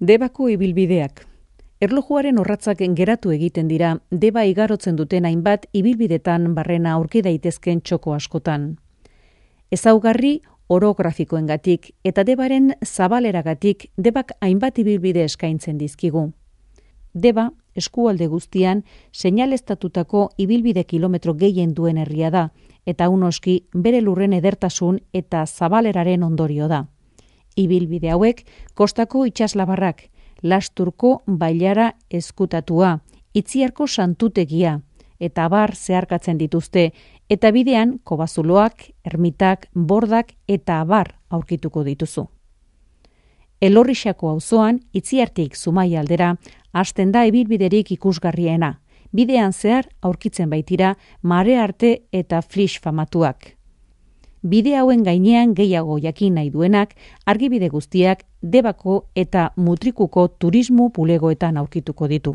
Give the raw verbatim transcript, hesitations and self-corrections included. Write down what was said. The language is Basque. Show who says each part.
Speaker 1: Debako ibilbideak. Erlojuaren orratzak geratu egiten dira, Deba igarotzen duten hainbat ibilbidetan barrena aurki daitezken txoko askotan. Ezaugarri orografikoengatik eta Debaren zabaleragatik Debak hainbat ibilbide eskaintzen dizkigu. Deba, eskualde guztian, seinaleztatutako ibilbide kilometro gehien duen herria da, eta unoski bere lurren edertasun eta zabaleraren ondorio da. Ibilbide hauek kostako itsaslabarrak, Lasturko bailara ezkutatua, Itziarko santutegia, eta abar zeharkatzen dituzte, eta bidean kobazuloak, ermitak, bordak eta abar aurkituko dituzu. Elorrixako auzoan, Itziartik Zumaia aldera, hasten da ibilbiderik ikusgarriena. Bidean zehar aurkitzen baitira mare arte eta flix famatuak. Bide hauen gainean gehiago jakin nahi duenak, argibide guztiak Debako eta Mutrikuko turismo bulegoetan aurkituko ditu.